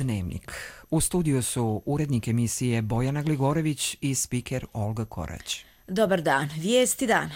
Dnevnik. U studiju su urednik emisije Bojana Gligorević i spiker Olga Korać. Dobar dan, vijesti dana.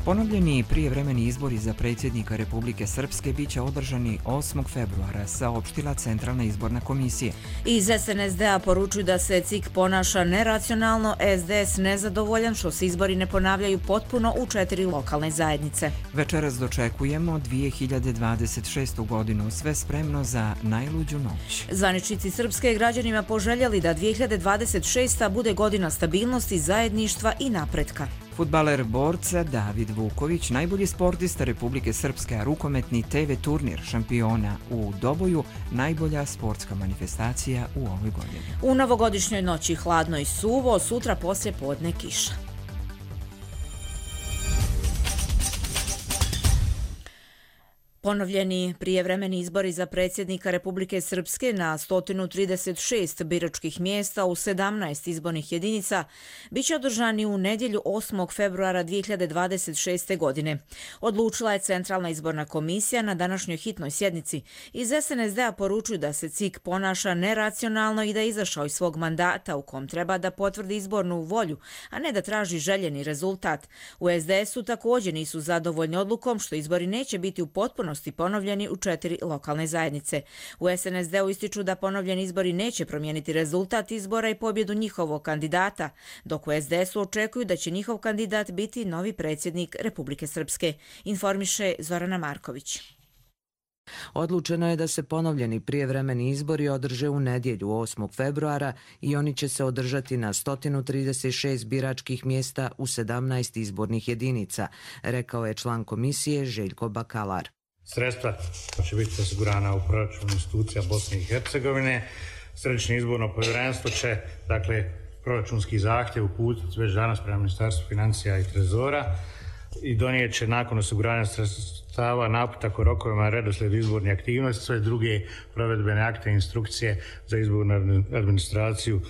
Ponovljeni prijevremeni izbori za predsjednika Republike Srpske bit će održani 8. februara, saopštila Centralna izborna komisija. Iz SNSD-a poručuju da se CIK ponaša neracionalno, SDS nezadovoljan što se izbori ne ponavljaju potpuno u 4 lokalne zajednice. Večeras dočekujemo 2026. godinu, sve spremno za najluđu noć. Zvaničnici Srpske građanima poželjeli da 2026. bude godina stabilnosti, zajedništva i napretka. Fudbaler borca David Vuković, najbolji sportista Republike Srpske, a rukometni TV turnir šampiona u Doboju, najbolja sportska manifestacija u ovoj godini. U novogodišnjoj noći hladno i suvo, sutra poslije podne kiša. Ponovljeni prijevremeni izbori za predsjednika Republike Srpske na 136 biračkih mjesta u 17 izbornih jedinica biće održani u nedjelju 8. februara 2026. godine. Odlučila je Centralna izborna komisija na današnjoj hitnoj sjednici. Iz SNSD-a poručuju da se CIK ponaša neracionalno i da je izašao iz svog mandata u kom treba da potvrdi izbornu volju, a ne da traži željeni rezultat. U SDS-u također nisu zadovoljni odlukom što izbori neće biti u potpunosti ponovljeni u 4 lokalne zajednice. U SNSD-u ističu da ponovljeni izbori neće promijeniti rezultat izbora i pobjedu njihovog kandidata, dok u SDS-u očekuju da će njihov kandidat biti novi predsjednik Republike Srpske, informiše Zorana Marković. Odlučeno je da se ponovljeni prijevremeni izbori održe u nedjelju 8. februara i oni će se održati na 136 biračkih mjesta u 17 izbornih jedinica, rekao je član komisije Željko Bakalar. Sredstva će biti osigurana u proračunu institucija Bosne i Hercegovine. Središnje izborno povjerenstvo će, proračunski zahtjev uputiti već danas prema Ministarstvu financija i trezora i donijet će nakon osiguranja sredstava naputak o rokovima, redoslijed izborne aktivnosti, sve druge provedbene akte i instrukcije za izbornu administraciju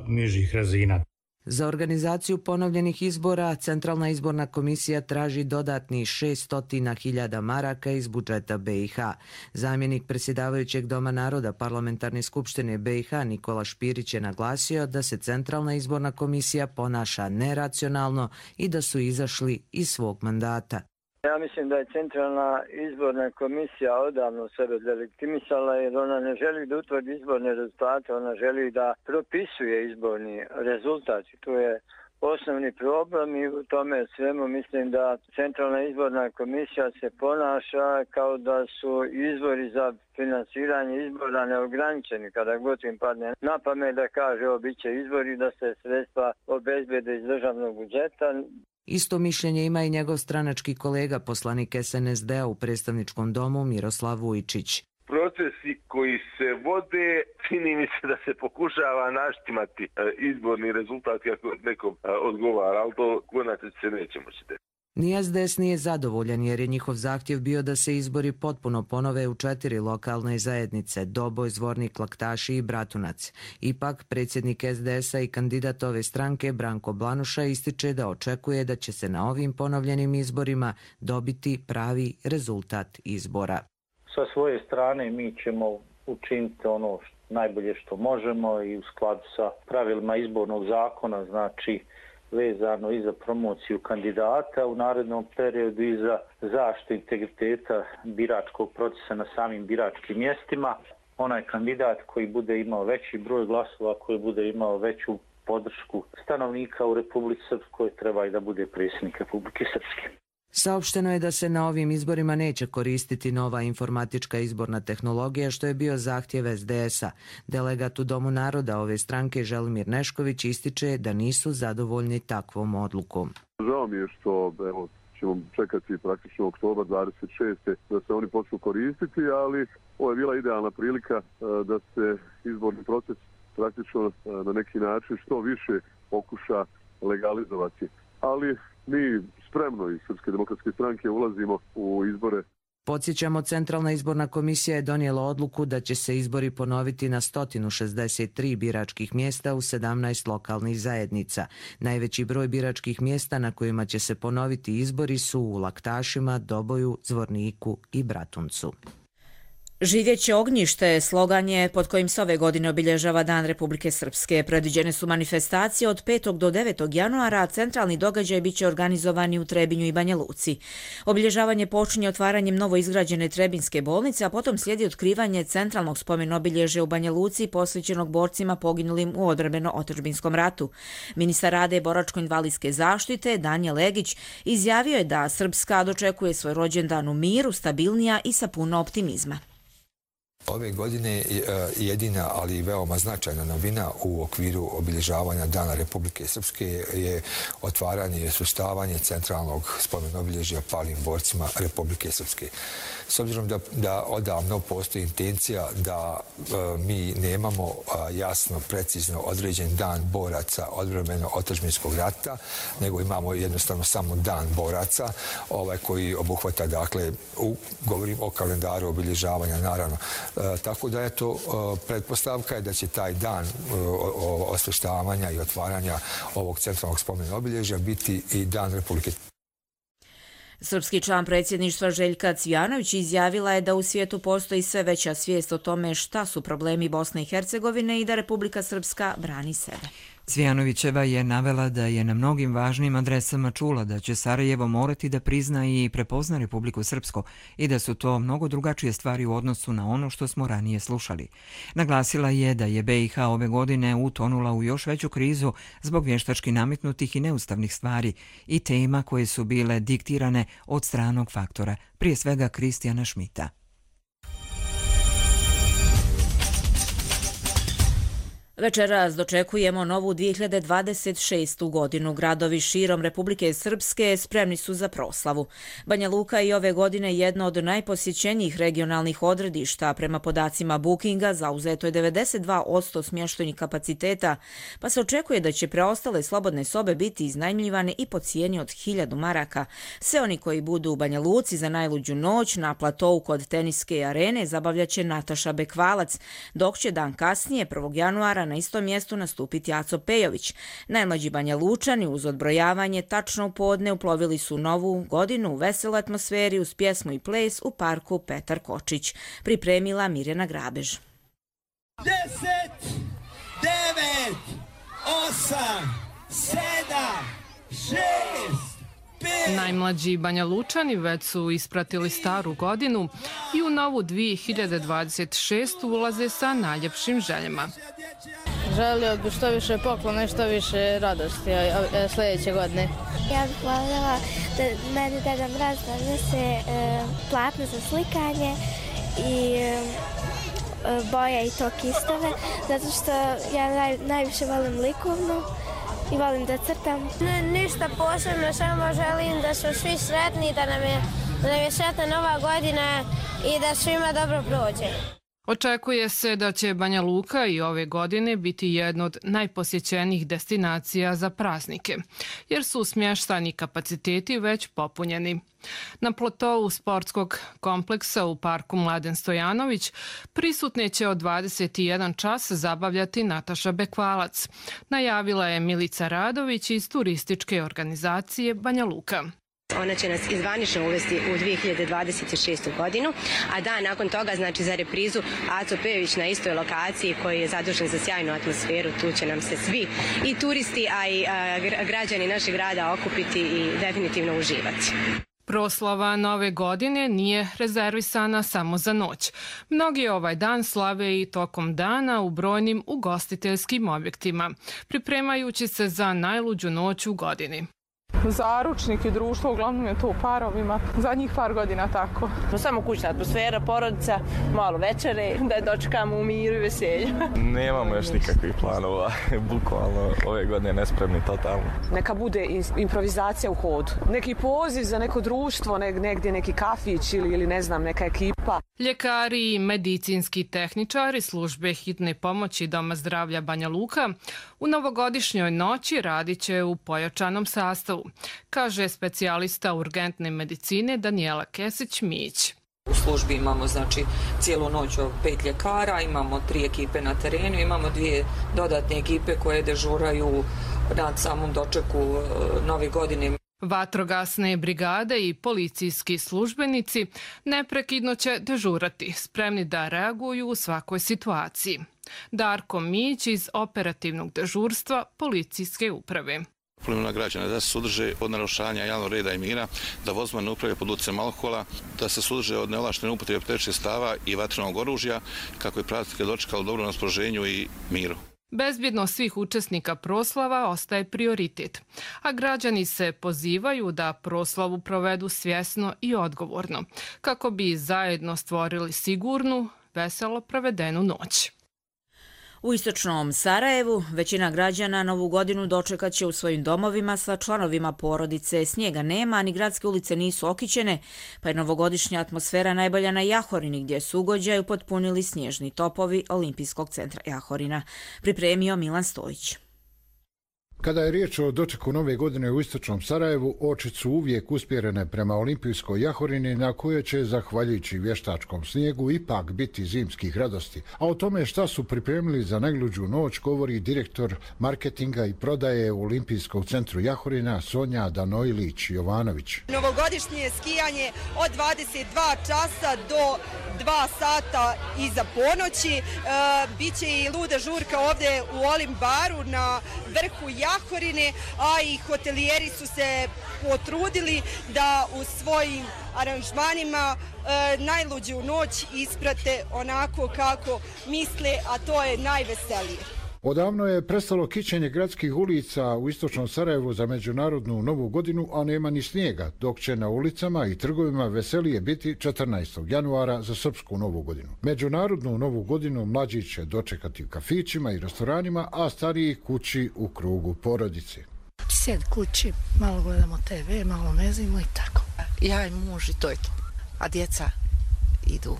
nižih razina. Za organizaciju ponovljenih izbora Centralna izborna komisija traži dodatni 600.000 maraka iz budžeta BiH. Zamjenik predsjedavajućeg Doma naroda Parlamentarne skupštine BiH Nikola Špirić je naglasio da se Centralna izborna komisija ponaša neracionalno i da su izašli iz svog mandata. Ja mislim da je Centralna izborna komisija odavno sebe delegitimisala jer ona ne želi da utvrdi izborne rezultate, ona želi da propisuje izborni rezultat. I tu je osnovni problem i u tome svemu mislim da Centralna izborna komisija se ponaša kao da su izvori za finansiranje izbora neograničeni. Kada god im padne na pamet da kaže bit će izbori, da se sredstva obezbede iz državnog budžeta. Isto mišljenje ima i njegov stranački kolega, poslanik SNSD-a u predstavničkom domu Miroslav Vujčić. Procesi koji se vode, čini mi se da se pokušava naštimati izborni rezultat kako nekom odgovara, ali to konačno se neće moći desiti. Ni SDS nije zadovoljan jer je njihov zahtjev bio da se izbori potpuno ponove u 4 lokalne zajednice, Doboj, Zvornik, Laktaši i Bratunac. Ipak, predsjednik SDS-a i kandidat ove stranke Branko Blanuša ističe da očekuje da će se na ovim ponovljenim izborima dobiti pravi rezultat izbora. Sa svoje strane mi ćemo učiniti ono najbolje što možemo i u skladu sa pravilima izbornog zakona, znači vezano i za promociju kandidata u narednom periodu i za zaštitu integriteta biračkog procesa na samim biračkim mjestima. Onaj kandidat koji bude imao veći broj glasova, koji bude imao veću podršku stanovnika u Republici Srpskoj, treba i da bude predsjednik Republike Srpske. Saopšteno je da se na ovim izborima neće koristiti nova informatička izborna tehnologija, što je bio zahtjev SDS-a. Delegat u Domu naroda ove stranke Želimir Nešković ističe da nisu zadovoljni takvom odlukom. Žao mi je što ćemo čekati praktično oktobar 26. da se oni počnu koristiti, ali ovo je bila idealna prilika da se izborni proces praktično na neki način što više pokuša legalizovati. Ali mi spremno iz Srpske demokratske stranke ulazimo u izbore. Podsjećamo, Centralna izborna komisija je donijela odluku da će se izbori ponoviti na 163 biračkih mjesta u 17 lokalnih zajednica. Najveći broj biračkih mjesta na kojima će se ponoviti izbori su u Laktašima, Doboju, Zvorniku i Bratuncu. Živjeće ognjište slogan je pod kojim se ove godine obilježava Dan Republike Srpske. Predviđene su manifestacije od 5. do 9. januara, a centralni događaj biće organizovani u Trebinju i Banja Luci. Obilježavanje počinje otvaranjem novoizgrađene Trebinske bolnice, a potom slijedi otkrivanje centralnog spomen obilježja u Banja Luci posvećenog borcima poginulim u odbrambeno-otadžbinskom ratu. Ministar rada i boračko-invalidske zaštite Danijel Legić izjavio je da Srpska dočekuje svoj rođendan u miru, stabilnija i sa puno optimizma. Ove godine jedina, ali i veoma značajna novina u okviru obilježavanja Dana Republike Srpske je otvaranje i osvrstavanje centralnog spomen obilježja palim borcima Republike Srpske. S obzirom da odavno postoji intencija da mi nemamo jasno, precizno određen dan boraca odbrambeno-otadžbinskog rata, nego imamo jednostavno samo dan boraca koji obuhvata, dakle, govorim o kalendaru obilježavanja, naravno. Tako da je to pretpostavka je da će taj dan osveštavanja i otvaranja ovog centralnog spomena obilježja biti i Dan Republike. Srpski član predsjedništva Željka Cvijanović izjavila je da u svijetu postoji sve veća svijest o tome šta su problemi Bosne i Hercegovine i da Republika Srpska brani sebe. Cvijanovićeva je navela da je na mnogim važnim adresama čula da će Sarajevo morati da prizna i prepozna Republiku Srpsku i da su to mnogo drugačije stvari u odnosu na ono što smo ranije slušali. Naglasila je da je BiH ove godine utonula u još veću krizu zbog vještački nametnutih i neustavnih stvari i tema koje su bile diktirane od stranog faktora, prije svega Kristijana Šmita. Večeras dočekujemo novu 2026. godinu. Gradovi širom Republike Srpske spremni su za proslavu. Banja Luka je ove godine jedno od najposjećenijih regionalnih odredišta. Prema podacima Bookinga zauzeto je 92% smještajnih kapaciteta, pa se očekuje da će preostale slobodne sobe biti iznajmljivane i po cijeni od 1000 maraka. Sve oni koji budu u Banja Luci za najluđu noć na platovu kod teniske arene zabavljaće Nataša Bekvalac, dok će dan kasnije, 1. januara, na istom mjestu nastupiti Aco Pejović. Najmlađi Banja Lučani uz odbrojavanje tačno u podne uplovili su novu godinu u veseloj atmosferi uz pjesmu i ples u parku Petar Kočić. Pripremila Mirjana Grabež. 10, 9, 8, 7, 6, Najmlađi Banja Lučani već su ispratili staru godinu i u novu 2026. ulaze sa najljepšim željama. Želio bih što više poklona i što više radosti sljedeće godine. Ja bih voljela da meni Deda Mraz donese platno za slikanje i boje i to kistove, zato što ja najviše volim likovnu i volim da crtam. Ništa posebno, samo želim da su svi sretni, da nam je sretna nova godina i da svima dobro prođe. Očekuje se da će Banja Luka i ove godine biti jedna od najposjećenijih destinacija za praznike, jer su smještajni kapaciteti već popunjeni. Na platovu sportskog kompleksa u parku Mladen Stojanović prisutne će od 21 čas zabavljati Nataša Bekvalac, najavila je Milica Radović iz turističke organizacije Banja Luka. Ona će nas izvanično uvesti u 2026. godinu, a dan nakon toga, znači za reprizu, Aco Pejović na istoj lokaciji koji je zadužen za sjajnu atmosferu, tu će nam se svi i turisti, a i građani našeg grada okupiti i definitivno uživati. Proslava nove godine nije rezervisana samo za noć. Mnogi ovaj dan slave i tokom dana u brojnim ugostiteljskim objektima, pripremajući se za najluđu noć u godini. Zaručnik i društvo, uglavnom je to u parovima, zadnjih par godina tako. Samo kućna atmosfera, porodica, malo večere, da je dočekamo u miru i veselju. Nemamo još nikakvih planova, bukvalno ove godine nespremni totalno. Neka bude improvizacija u hodu, neki poziv za neko društvo, negdje neki kafić ili ne znam, neka ekipa. Ljekari i medicinski tehničari službe hitne pomoći Doma zdravlja Banja Luka u novogodišnjoj noći radit će u pojačanom sastavu, kaže specijalista urgentne medicine Danijela Kesić-Mić. U službi imamo znači cijelu noć 5 ljekara, imamo 3 ekipe na terenu, imamo 2 dodatne ekipe koje dežuraju na samom dočeku Nove godine. Vatrogasne brigade i policijski službenici neprekidno će dežurati, spremni da reaguju u svakoj situaciji. Darko Mić iz operativnog dežurstva policijske uprave. Apelujemo na građane da se suzdrže od narušavanja javnog reda i mira, da vozimo ne upravljaju pod utjecajem alkohola, da se suzdrže od neovlaštene upotrebe pirotehničkih sredstava i vatrenog oružja, kako je praznike dočekalo u dobrom raspoloženju i miru. Bezbjednost svih učesnika proslava ostaje prioritet, a građani se pozivaju da proslavu provedu svjesno i odgovorno, kako bi zajedno stvorili sigurnu, veselo provedenu noć. U istočnom Sarajevu većina građana Novu godinu dočekat će u svojim domovima sa članovima porodice. Snijega nema, ni gradske ulice nisu okićene, pa je novogodišnja atmosfera najbolja na Jahorini, gdje su ugođaj upotpunili snježni topovi Olimpijskog centra Jahorina. Pripremio Milan Stojić. Kada je riječ o dočeku Nove godine u istočnom Sarajevu, oči su uvijek usmjerene prema Olimpijskoj Jahorini, na kojoj će, zahvaljujući vještačkom snijegu, ipak biti zimskih radosti. A o tome šta su pripremili za najluđu noć govori direktor marketinga i prodaje u Olimpijskog centru Jahorina Sonja Danojlić-Jovanović. Novogodišnje skijanje od 22 časa do 2 sata iza ponoći. Biće i luda žurka ovdje u Olim baru na vrhu Jahorine, a i hotelijeri su se potrudili da u svojim aranžmanima najluđu noć isprate onako kako misle, a to je najveselije. Odavno je prestalo kićenje gradskih ulica u istočnom Sarajevu za međunarodnu Novu godinu, a nema ni snijega, dok će na ulicama i trgovima veselije biti 14. januara za srpsku Novu godinu. Međunarodnu Novu godinu mlađi će dočekati u kafićima i restoranima, a stariji kući u krugu porodice. Sjed kući, malo gledamo TV, malo mezimo i tako. Ja i muž i to je to. A djeca idu.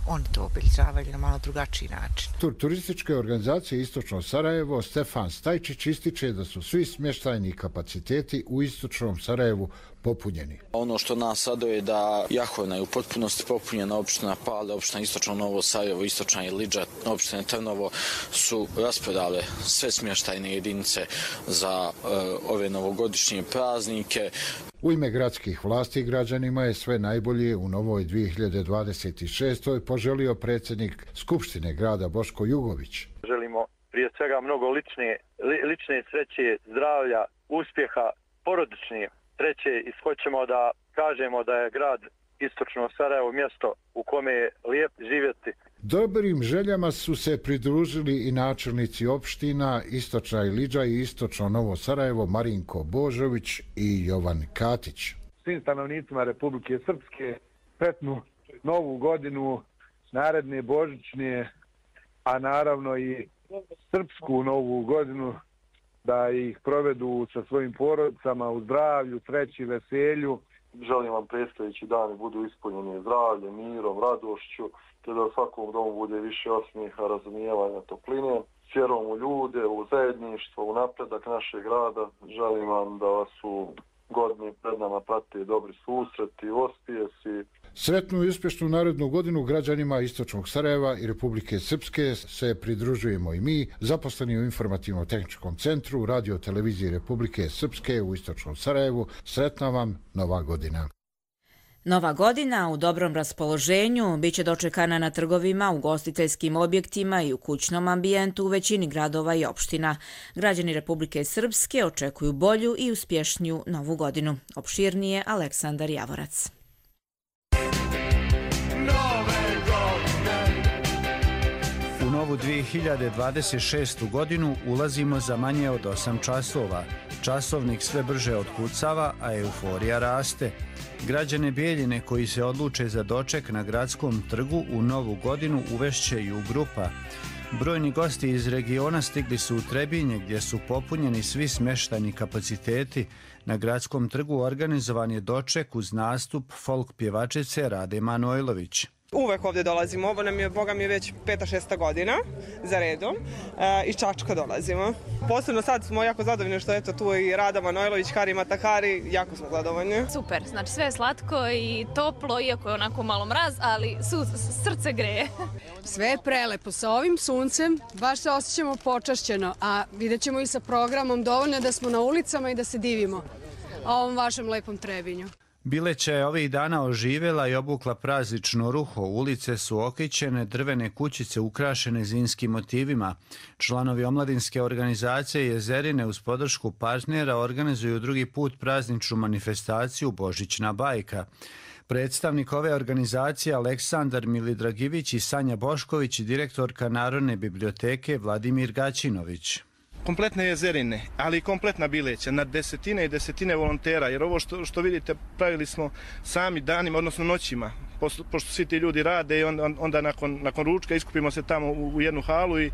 Oni to obilježavaju na malo drugačiji način. Turističke organizacije Istočno Sarajevo Stefan Stajčić ističe da su svi smještajni kapaciteti u Istočnom Sarajevu popunjeni. Ono što nas raduje je da Jahorina je u potpunosti popunjena, opština Pale, opština Istočno Novo Sarajevo, Istočna Ilidža, opština Trnovo su rasprodale sve smještajne jedinice za ove novogodišnje praznike. U ime gradskih vlasti građanima je sve najbolje u novoj 2026. poželio predsjednik Skupštine grada Boško Jugović. Želimo prije svega mnogo lične sreće, zdravlja, uspjeha, porodične sreće i hoćemo da kažemo da je grad Istočno Sarajevo mjesto u kome je lijep živjeti. Dobrim željama su se pridružili i načelnici opština Istočna Ilidža i Istočno Novo Sarajevo Marinko Božović i Jovan Katić. Svim stanovnicima Republike Srpske sretnu Novu godinu, naredne božićne, a naravno i srpsku Novu godinu, da ih provedu sa svojim porodicama u zdravlju, sreći, veselju. Želim vam predstojeći dani budu ispunjeni zdravljem, mirom, radošću, te da u svakom domu bude više osmijeha, razumijevanja, topline, s vjerom u ljude, u zajedništvo, u napredak našeg grada. Želim vam da vas u godini pred nama prate dobri susreti, uspjesi. Sretnu i uspješnu narednu godinu građanima Istočnog Sarajeva i Republike Srpske se pridružujemo i mi, zaposleni u Informativno-tehničkom centru Radio televizije Republike Srpske u Istočnom Sarajevu. Sretna vam Nova godina. Nova godina u dobrom raspoloženju biće dočekana na trgovima, ugostiteljskim objektima i u kućnom ambijentu u većini gradova i opština. Građani Republike Srpske očekuju bolju i uspješniju Novu godinu. Opširnije Aleksandar Javorac. U novu 2026. godinu ulazimo za manje od 8 časova. Časovnik sve brže otkucava, a euforija raste. Građane Bijeljine koji se odluče za doček na gradskom trgu u novu godinu uvešće i u grupa. Brojni gosti iz regiona stigli su u Trebinje gdje su popunjeni svi smještajni kapaciteti. Na gradskom trgu organizovan je doček uz nastup folk pjevačice Rade Manojlović. Uvek ovdje dolazimo, ovo nam je, boga mi, već 5-6 godina za redom. Iz Čačka dolazimo. Posebno sad smo jako zadovoljni što je tu i Rada Manojlović, Hari Matakari, jako smo zadovoljni. Super, znači sve je slatko i toplo, iako je onako malo mraz, ali srce greje. Sve je prelepo, sa ovim suncem baš se osjećamo počašćeno, a vidjet ćemo i sa programom dovoljno da smo na ulicama i da se divimo ovom vašem lepom Trebinju. Bileća je ovih dana oživjela i obukla praznično ruho. Ulice su okićene, drvene kućice ukrašene zimskim motivima. Članovi omladinske organizacije Jezerine uz podršku partnera organizuju drugi put prazničnu manifestaciju Božićna bajka. Predstavnik ove organizacije Aleksandar Milidragivić i Sanja Bošković i direktorka Narodne biblioteke Vladimir Gaćinović. Kompletne Jezerine, ali i kompletna Bileća, na desetine i desetine volontera, jer ovo što vidite pravili smo sami danima, odnosno noćima, pošto svi ti ljudi rade i onda nakon ručka iskupimo se tamo u jednu halu i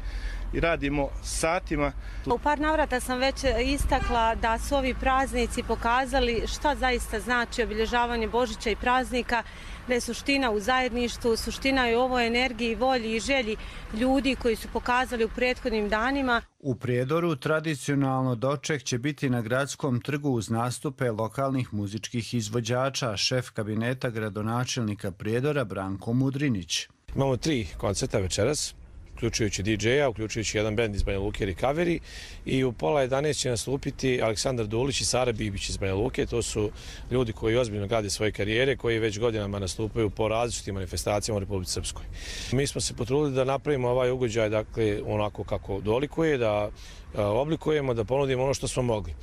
radimo satima. U par navrata sam već istakla da su ovi praznici pokazali šta zaista znači obilježavanje Božića i praznika, da je suština u zajedništvu, suština je u ovoj energiji, volji i želji ljudi koji su pokazali u prethodnim danima. U Prijedoru tradicionalno doček će biti na Gradskom trgu uz nastupe lokalnih muzičkih izvođača, šef kabineta gradonačelnika Prijedora Branko Mudrinić. Imamo 3 koncerta večeras, uključujući DJ-a, uključujući jedan bend iz Banja Luke, Recovery, i u 10:30 će nastupiti Aleksandar Dulić i Sara Bibić iz Banja Luke. To su ljudi koji ozbiljno grade svoje karijere, koji već godinama nastupaju po različitim manifestacijama u Republici Srpskoj. Mi smo se potrudili da napravimo ovaj ugođaj, dakle, onako kako dolikuje, da oblikujemo, da ponudimo ono što smo mogli.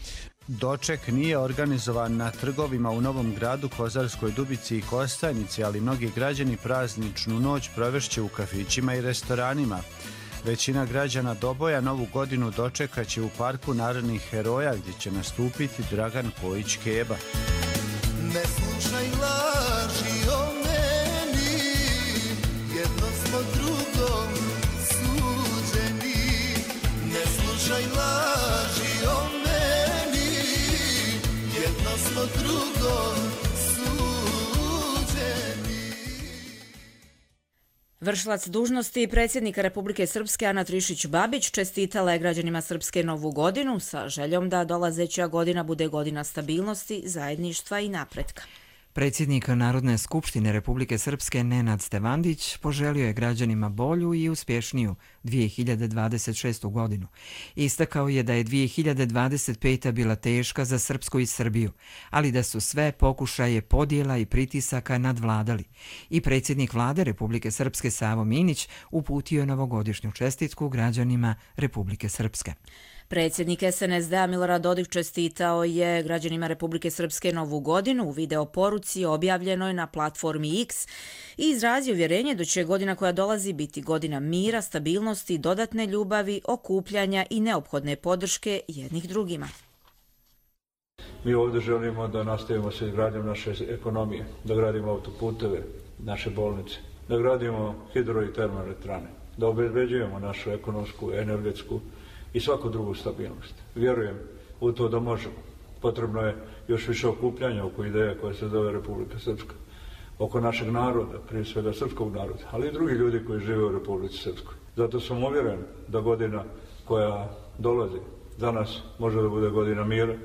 Doček nije organizovan na trgovima u Novom Gradu, Kozarskoj Dubici i Kostajnici, ali mnogi građani prazničnu noć provešće u kafićima i restoranima. Većina građana Doboja Novu godinu dočekaće u Parku narodnih heroja, gdje će nastupiti Dragan Pojić Keba. Ne slušaj laži o meni, jedno smo drugom suđeni. Ne slušaj laži o meni, jedno smo drugom suđeni. Vršilac dužnosti predsjednika Republike Srpske Ana Trišić-Babić čestitala je građanima Srpske Novu godinu sa željom da dolazeća godina bude godina stabilnosti, zajedništva i napretka. Predsjednik Narodne skupštine Republike Srpske Nenad Stevandić poželio je građanima bolju i uspješniju 2026. godinu. Istakao je da je 2025. bila teška za Srpsku i Srbiju, ali da su sve pokušaje podjela i pritisaka nadvladali. I predsjednik vlade Republike Srpske Savo Minić uputio je novogodišnju čestitku građanima Republike Srpske. Predsjednik SNSD-a Milorad Dodik čestitao je građanima Republike Srpske Novu godinu u video poruci objavljenoj na platformi X i izrazio uvjerenje da će godina koja dolazi biti godina mira, stabilnosti, dodatne ljubavi, okupljanja i neophodne podrške jednih drugima. Mi ovdje želimo da nastavimo sa izgradnjom naše ekonomije, da gradimo autoputeve, naše bolnice, da gradimo hidro i termoelektrane, da obezbeđujemo našu ekonomsku, energetsku i svaku drugu stabilnost. Vjerujem u to da možemo. Potrebno je još više okupljanja oko ideje koja se zove Republika Srpska, oko našeg naroda, prije svega srpskog naroda, ali i drugi ljudi koji žive u Republici Srpskoj. Zato sam uvjeren da godina koja dolazi za nas može da bude godina mira,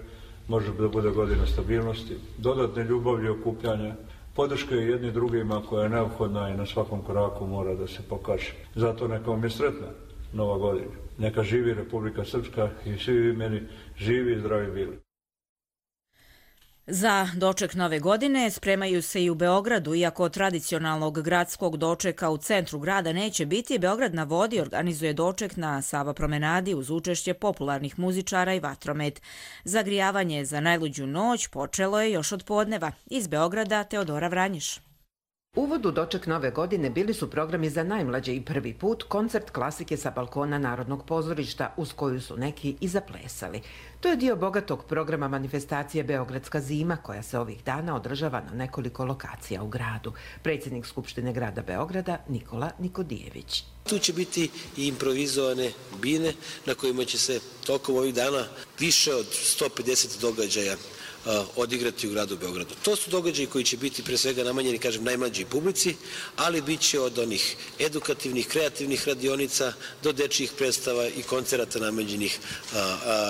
može da bude godina stabilnosti, dodatne ljubavlje i okupljanja, podrške jedni drugima koja je neophodna i na svakom koraku mora da se pokaže. Zato neka vam je sretna Nova godina. Neka živi Republika Srpska i svi meni živi i zdravi bili. Za doček Nove godine spremaju se i u Beogradu, iako tradicionalnog gradskog dočeka u centru grada neće biti. Beograd na vodi organizuje doček na Sava promenadi uz učešće popularnih muzičara i vatromet. Zagrijavanje za najluđu noć počelo je još od podneva. Iz Beograda Teodora Vranješ. Uvod u doček Nove godine bili su programi za najmlađe i prvi put koncert klasike sa balkona Narodnog pozorišta, uz koju su neki i zaplesali. To je dio bogatog programa manifestacije Beogradska zima, koja se ovih dana održava na nekoliko lokacija u gradu. Predsjednik Skupštine grada Beograda Nikola Nikodijević. Tu će biti i improvizovane bine na kojima će se tokom ovih dana više od 150 događaja odigrati u gradu Beogradu. To su događaji koji će biti pre svega namenjeni, kažem, najmlađoj publici, ali bit će od onih edukativnih, kreativnih radionica do dečjih predstava i koncerata namenjenih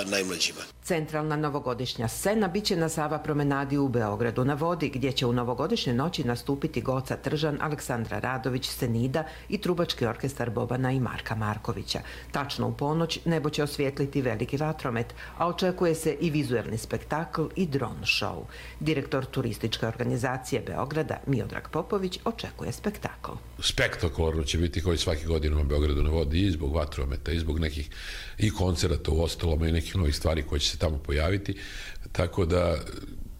najmlađima. Centralna novogodišnja scena biće na Sava promenadi u Beogradu na vodi, gdje će u novogodišnje noći nastupiti Goca Tržan, Aleksandra Radović, Senida i trubački orkestar Bobana i Marka Markovića. Tačno u ponoć nebo će osvijetliti veliki vatromet, a očekuje se i vizuelni spektakl i dron show. Direktor turističke organizacije Beograda, Miodrag Popović, očekuje spektakl. Spektakularno će biti koji svaki godin u Beogradu na vodi i zbog vatrometa, i zbog nekih i koncerata u ostalama i nekih novih stvari koje će se tamo pojaviti, tako da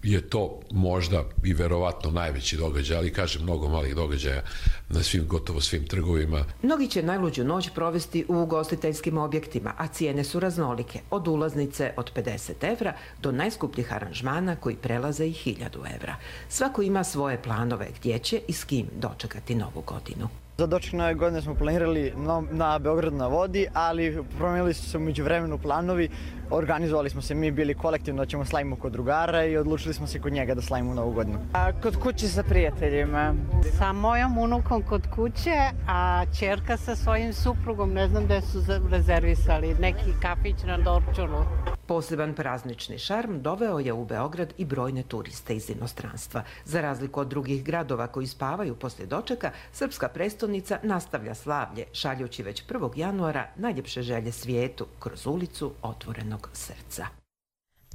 je to možda i verovatno najveći događaj, ali kažem, mnogo malih događaja na gotovo svim trgovima. Mnogi će najluđu noć provesti u ugostiteljskim objektima, a cijene su raznolike, od ulaznice od 50 € do najskupljih aranžmana koji prelaze i 1000 €. Svako ima svoje planove gdje će i s kim dočekati novu godinu. Za doček nove godine smo planirali na Beogradu na vodi, ali promijenili su se u međuvremenu planovi. Organizovali smo se, mi bili kolektivno da ćemo slavimo kod drugara i odlučili smo se kod njega da slavimo novu godinu. Kod kuće sa prijateljima. Sa mojom unukom kod kuće, a ćerka sa svojim suprugom, ne znam gde su rezervisali, neki kafić na Dorčulu. Poseban praznični šarm doveo je u Beograd i brojne turiste iz inostranstva. Za razliku od drugih gradova koji spavaju poslije dočeka, srpska prestonica nastavlja slavlje, šaljući već 1. januara najljepše želje svijetu kroz ulicu otvorenog srca.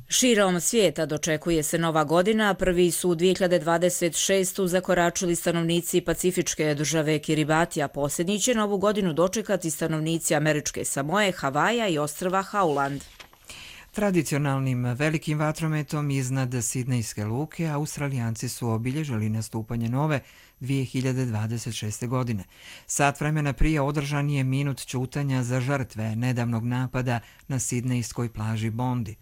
Širom svijeta dočekuje se nova godina. Prvi su 2026. zakoračili stanovnici pacifičke države Kiribati, a posljednji će novu godinu dočekati stanovnici američke Samoe, Havaja i ostrva Hauland. Tradicionalnim velikim vatrometom iznad Sidnejske luke Australijanci su obilježili nastupanje nove 2026. godine. Sat vremena prije održan je minut ćutanja za žrtve nedavnog napada na sidnejskoj plaži Bondi.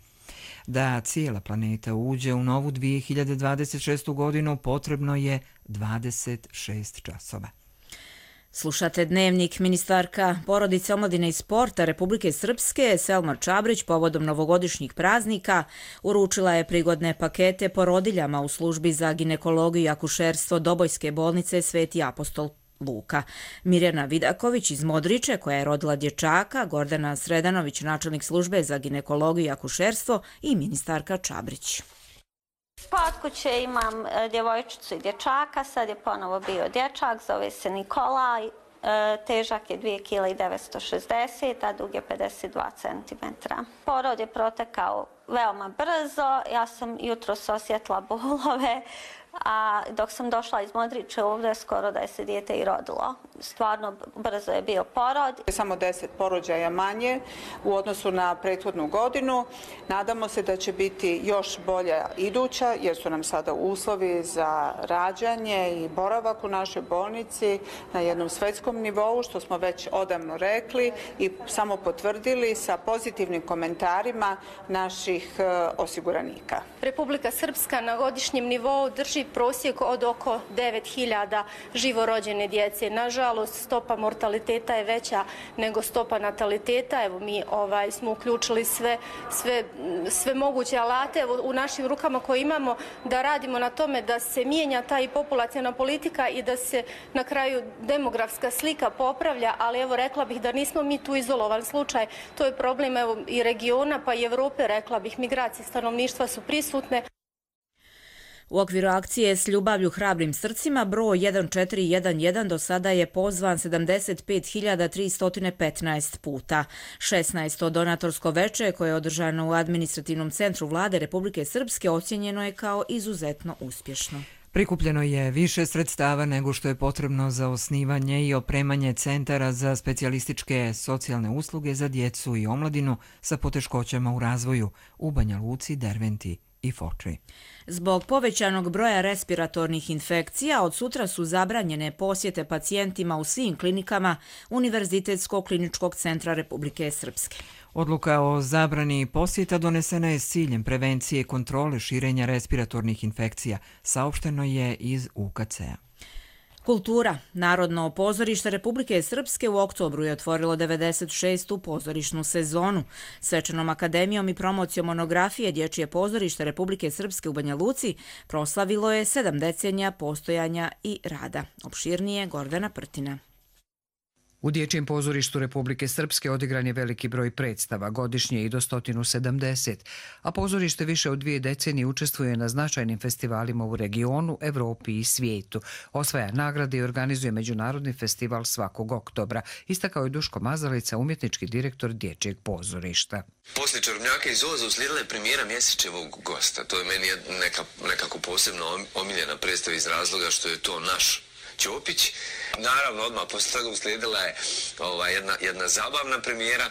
Da cijela planeta uđe u novu 2026. godinu potrebno je 26 časova. Slušate Dnevnik. Ministarka porodice, omladine i sporta Republike Srpske Selma Čabrić povodom novogodišnjih praznika uručila je prigodne pakete porodiljama u službi za ginekologiju i akušerstvo Dobojske bolnice Sveti apostol Luka. Mirjana Vidaković iz Modriče, koja je rodila dječaka, Gordana Sredanović, načelnik službe za ginekologiju i akušerstvo, i ministarka Čabrić. Kod kuće imam djevojčicu i dječaka, sad je ponovo bio dječak, zove se Nikolaj, težak je 2,960 kg, a dug je 52 cm. Porod je protekao veoma brzo, ja sam jutros osjetila bolove, a dok sam došla iz Modriče ovdje skoro da je se dijete i rodilo. Stvarno brzo je bio porod. Samo 10 porođaja manje u odnosu na prethodnu godinu. Nadamo se da će biti još bolja iduća jer su nam sada uslovi za rađanje i boravak u našoj bolnici na jednom svetskom nivou, što smo već odavno rekli i samo potvrdili sa pozitivnim komentarima naših osiguranika. Republika Srpska na godišnjem nivou drži prosjek od oko 9000 živorođene djece. Nažalost, stopa mortaliteta je veća nego stopa nataliteta. Evo, mi smo uključili sve moguće alate u našim rukama koje imamo da radimo na tome da se mijenja ta i populaciona politika i da se na kraju demografska slika popravlja, ali evo rekla bih da nismo mi tu izolovan slučaj. To je problem i regiona pa i Evrope, rekla bih, migracije stanovništva su prisutne. U okviru akcije S ljubavlju hrabrim srcima broj 1411 do sada je pozvan 75.315 puta. 16. donatorsko veče koje je održano u administrativnom centru vlade Republike Srpske ocjenjeno je kao izuzetno uspješno. Prikupljeno je više sredstava nego što je potrebno za osnivanje i opremanje centara za specijalističke socijalne usluge za djecu i omladinu sa poteškoćama u razvoju u Banja Luci, Derventi i Foči. Zbog povećanog broja respiratornih infekcija, od sutra su zabranjene posjete pacijentima u svim klinikama Univerzitetskog kliničkog centra Republike Srpske. Odluka o zabrani posjeta donesena je s ciljem prevencije i kontrole širenja respiratornih infekcija, saopšteno je iz UKC-a. Kultura. Narodno pozorište Republike Srpske u oktobru je otvorilo 96. pozorišnu sezonu. Svečanom akademijom i promocijom monografije Dječje pozorište Republike Srpske u Banja Luci proslavilo je 7 decenija postojanja i rada. Opširnije Gordana Prtina. U Dječjem pozorištu Republike Srpske odigran je veliki broj predstava, godišnje i do 170, a pozorište više od 2 decenije učestvuje na značajnim festivalima u regionu, Evropi i svijetu. Osvaja nagrade i organizuje međunarodni festival svakog oktobra, istakao je Duško Mazalica, umjetnički direktor Dječjeg pozorišta. Poslije Čarobnjaka iz Oza uslijedila je premijera Mjesečevog gosta. To je meni nekako posebno omiljena predstava iz razloga što je to naš Ćopić. Naravno, odmah poslije toga uslijedila je jedna zabavna premijera,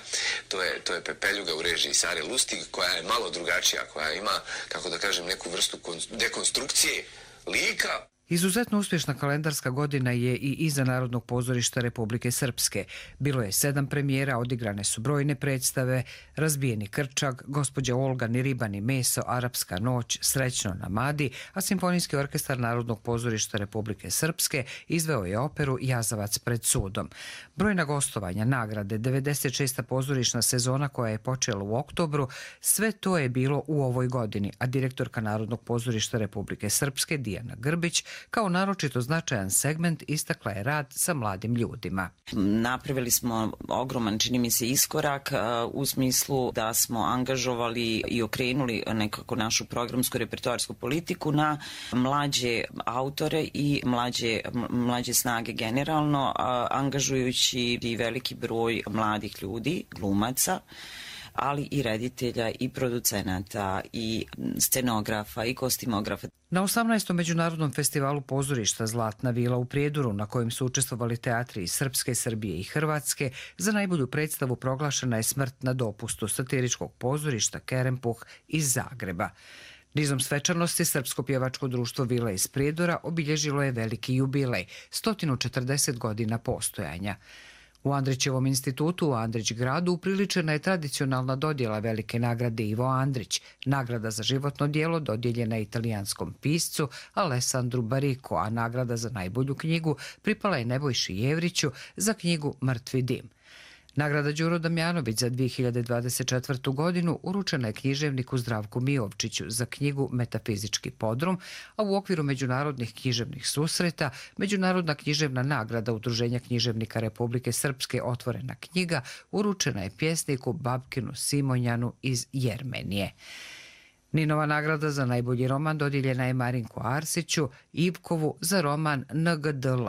to je Pepeljuga u režiji Sare Lustig, koja je malo drugačija, koja ima, kako da kažem, neku vrstu dekonstrukcije lika. Izuzetno uspješna kalendarska godina je i iza Narodnog pozorišta Republike Srpske. Bilo je 7 premijera, odigrane su brojne predstave, Razbijeni krčak, Gospođa Olga, Ni riba ni meso, Arapska noć, Srećno na Madi, a Simfonijski orkestar Narodnog pozorišta Republike Srpske izveo je operu Jazavac pred sudom. Brojna gostovanja, nagrade, 96. pozorišna sezona koja je počela u oktobru, sve to je bilo u ovoj godini, a direktorka Narodnog pozorišta Republike Srpske Dijana Grbić kao naročito značajan segment istakla je rad sa mladim ljudima. Napravili smo ogroman, čini mi se, iskorak u smislu da smo angažovali i okrenuli nekako našu programsku repertoarsku politiku na mlađe autore i mlađe snage generalno, angažujući i veliki broj mladih ljudi, glumaca, ali i reditelja, i producenata, i scenografa, i kostimografa. Na 18. Međunarodnom festivalu pozorišta Zlatna vila u Prijedoru, na kojem su učestvovali teatri iz Srpske, Srbije i Hrvatske, za najbolju predstavu proglašena je Smrt na dopustu satiričkog pozorišta Kerempuh iz Zagreba. Nizom svečanosti Srpsko pjevačko društvo Vila iz Prijedora obilježilo je veliki jubilej, 140 godina postojanja. U Andrićevom institutu u Andrić gradu upriličena je tradicionalna dodjela velike nagrade Ivo Andrić. Nagrada za životno djelo dodijeljena je italijanskom piscu Alessandru Baricco, a nagrada za najbolju knjigu pripala je Nebojši Jevriću za knjigu Mrtvi dim. Nagrada Đuro Damjanović za 2024. godinu uručena je književniku Zdravku Mijovčiću za knjigu Metafizički podrum, a u okviru međunarodnih književnih susreta Međunarodna književna nagrada Udruženja književnika Republike Srpske Otvorena knjiga uručena je pjesniku Babkinu Simonjanu iz Jermenije. Ninova nagrada za najbolji roman dodijeljena je Marinku Arsiću Ivkovu za roman NGDL.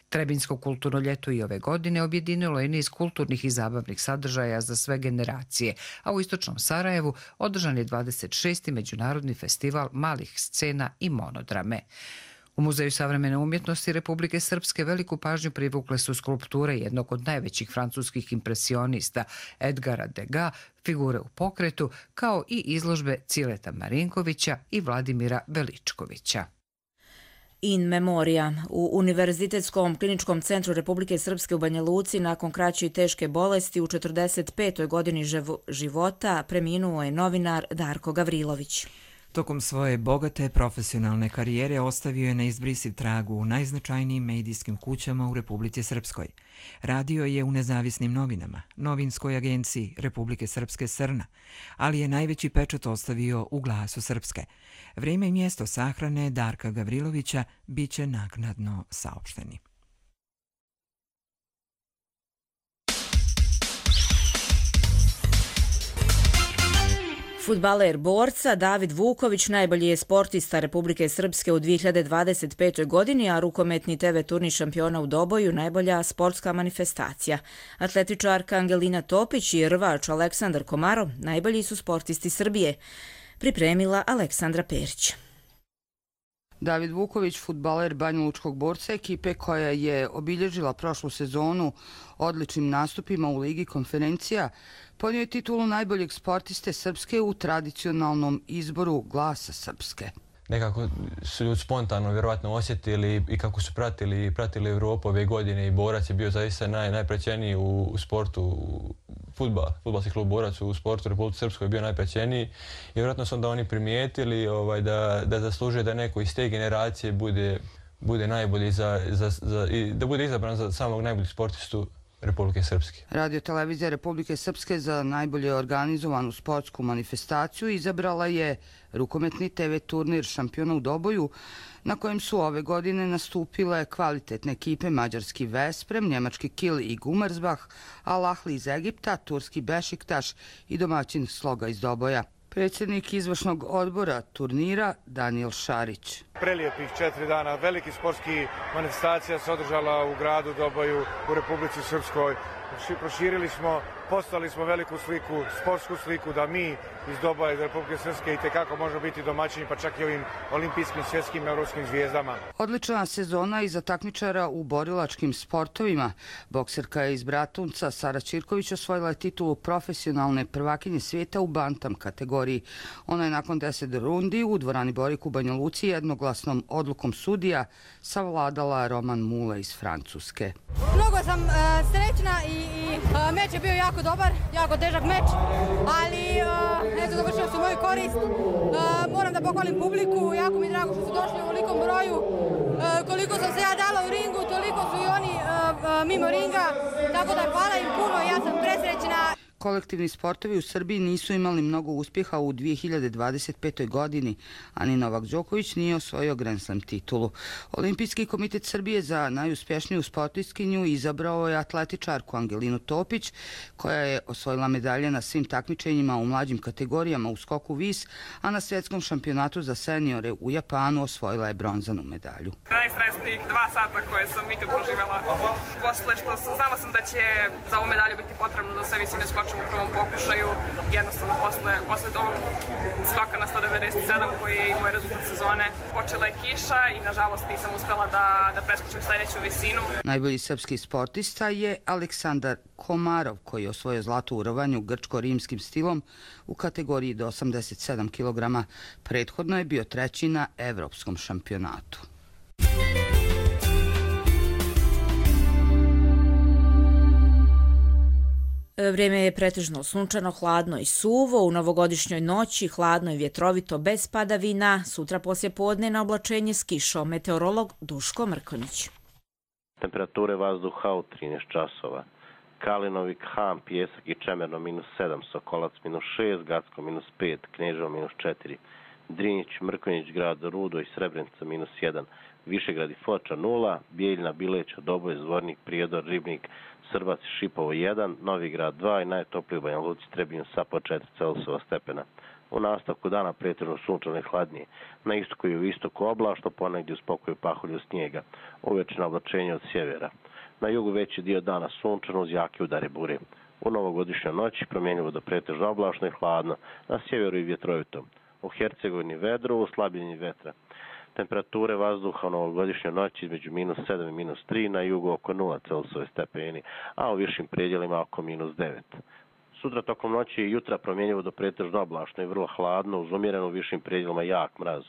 Trebinsko kulturno ljeto i ove godine objedinilo je niz kulturnih i zabavnih sadržaja za sve generacije, a u istočnom Sarajevu održan je 26. Međunarodni festival malih scena i monodrame. U Muzeju savremene umjetnosti Republike Srpske veliku pažnju privukle su skulpture jednog od najvećih francuskih impresionista Edgara Degas, Figure u pokretu, kao i izložbe Cileta Marinkovića i Vladimira Veličkovića. In memoria. U Univerzitetskom kliničkom centru Republike Srpske u Banja Luci nakon kraće i teške bolesti u 45. godini života preminuo je novinar Darko Gavrilović. Tokom svoje bogate profesionalne karijere ostavio je neizbrisiv trag u najznačajnijim medijskim kućama u Republici Srpskoj. Radio je u nezavisnim novinama, novinskoj agenciji Republike Srpske Srna, ali je najveći pečat ostavio u Glasu Srpske. Vrijeme i mjesto sahrane Darka Gavrilovića bit će naknadno saopšteni. Fudbaler borca David Vuković najbolji je sportista Republike Srpske u 2025. godini, a rukometni TV turnir šampiona u Doboju najbolja sportska manifestacija. Atletičarka Angelina Topić i rvač Aleksandar Komarov najbolji su sportisti Srbije. Pripremila Aleksandra Perić. David Vuković, fudbaler banjalučkog borca, ekipe koja je obilježila prošlu sezonu odličnim nastupima u Ligi konferencija, ponio je titulu najboljeg sportiste Srpske u tradicionalnom izboru Glasa Srpske. Nekako su ljudi spontano vjerovatno osjetili i kako su pratili Evropu ove godine i Borac je bio zaista najprećeniji u sportu, fudbalski klub Borac u sportu u Republike Srpskoj je bio najprećeniji i vjerojatno su onda oni primijetili da zaslužuje da neko iz te generacije bude najbolji i da bude izabran za samog najboljeg sportistu Republike Srpske. Radio televizija Republike Srpske za najbolje organizovanu sportsku manifestaciju izabrala je rukometni TV turnir Šampiona u Doboju, na kojem su ove godine nastupile kvalitetne ekipe mađarski Vesprem, njemački Kiel i Gummersbach, Al Ahly iz Egipta, turski Bešiktaš i domaćin Sloga iz Doboja. Predsjednik izvršnog odbora turnira Daniel Šarić. Prelijepih 4 dana, veliki sportski manifestacija se održala u gradu Doboju u Republici Srpskoj. Proširili smo, poslali smo veliku sliku, sportsku sliku da mi iz Doboja, iz Republike Srpske itekako možemo biti domaćini, pa čak i ovim olimpijskim, svjetskim, evropskim zvijezdama. Odlična sezona i za takmičara u borilačkim sportovima. Bokserka iz Bratunca Sara Ćirković osvojila je titulu profesionalne prvakinje svijeta u bantam kategoriji. Ona je nakon 10 rundi u dvorani Borik u Banja Luci jednoglasnom odlukom sudija savladala Roman Mule iz Francuske. Mnogo sam srećna i meč je bio jako dobar, jako težak meč, ali eto, završio se u moju korist. Moram da pohvalim publiku, jako mi je drago što su došli u velikom broju. Koliko sam se ja dala u ringu, toliko su i oni mimo ringa, tako da hvala im puno, ja sam presrećna. Kolektivni sportovi u Srbiji nisu imali mnogo uspjeha u 2025. godini, a ni Novak Đoković nije osvojio Grand Slam titulu. Olimpijski komitet Srbije za najuspješniju sportistkinju izabrao je atletičarku Angelinu Topić, koja je osvojila medalje na svim takmičenjima u mlađim kategorijama u skoku vis, a na svjetskom šampionatu za seniore u Japanu osvojila je bronzanu medalju. Najstresnijih 2 sata koje sam ikad proživjela. Posle što znala sam da će za ovu medalju biti potrebno da sve visine skočim u prvom pokušaju. Jednostavno posle toga skoka na 197 koji je i moj rezultat sezone. Počela je kiša i nažalost nisam uspela da preskočim sljedeću visinu. Najbolji srpski sportista je Aleksandar Komarov, koji je osvojio zlato u rovanju grčko-rimskim stilom u kategoriji do 87 kg. Prethodno je bio treći na evropskom šampionatu. Vrijeme je pretežno sunčano, hladno i suvo. U novogodišnjoj noći hladno i vjetrovito bez padavina. Sutra poslije podne na oblačenje s kišom. Meteorolog Duško Mrkonjić. Temperature vazduha u 13 časova. Kalinovik, Ham, Pjesak i Čemerno -7, Sokolac -6, Gacko -5, Kneževo -4, Drinjić, Mrkonjić, grad Rudo i Srebrenica -1, Višegrad i Foča 0, Bijeljna, Bileća, Doboj, Zvornik, Prijedor, Ribnik, Srbac i Šipovo 1, Novi Grad 2 i najtopliji u Banja Luci Trebinju sa po 4 Celzijusova stepena. U nastavku dana pretežno sunčano i hladnije. Na istoku i u istoku oblačno, ponegdje uz pokoju pahulju snijega. Uvečno oblačenje od sjevera. Na jugu veći dio dana sunčano uz jake udare bure. U novogodišnjoj noći promjenjivo do pretežno oblačno i hladno. Na sjeveru i vjetrovito. U Hercegovini vedro, u slabljenju vetra. Temperature vazduha u novogodišnjoj noći između -7 i -3, na jugu oko 0 Celzijusove stepeni, a u višim predjelima oko -9. Sutra tokom noći i jutra promjenjivo do pretežno oblačno i vrlo hladno, uz umjereno u višim predjelima jak mraz.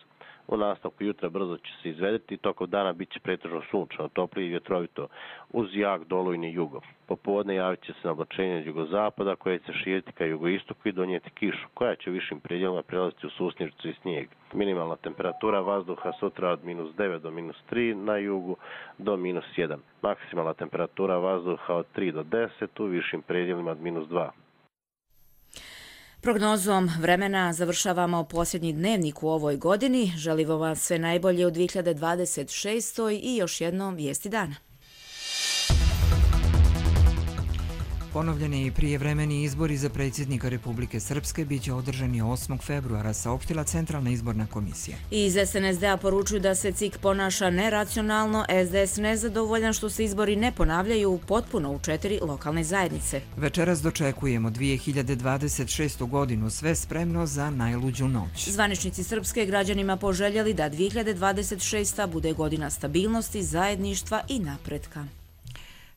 U nastavku jutra brzo će se izvedeti i tokom dana bit će pretežno sunčano, toplije i vjetrovito, uz jak dolujni jugo. Popodne javit će se na oblačenje od jugozapada koje će se širiti ka jugoistoku i donijeti kišu, koja će u višim predjelima prelaziti u susnježicu i snijeg. Minimalna temperatura vazduha sutra od -9 do -3, na jugu do -1. Maksimalna temperatura vazduha od 3 do 10, u višim predjelima od -2. Prognozom vremena završavamo posljednji dnevnik u ovoj godini. Želimo vam sve najbolje u 2026. i još jednom vijesti dana. Ponovljeni prijevremeni izbori za predsjednika Republike Srpske biće održani 8. februara, saopštila Centralna izborna komisija. Iz SNSD-a poručuju da se CIK ponaša neracionalno, SDS nezadovoljan što se izbori ne ponavljaju potpuno u 4 lokalne zajednice. Večeras dočekujemo 2026. godinu, sve spremno za najluđu noć. Zvaničnici Srpske građanima poželjeli da 2026. bude godina stabilnosti, zajedništva i napretka.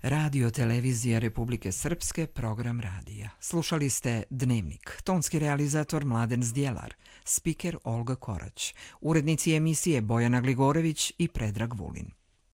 Radio televizija Republike Srpske, program radija. Slušali ste Dnevnik. Tonski realizator Mladen Zdjelar, spiker Olga Korać, urednici emisije Bojana Gligorević i Predrag Vulin.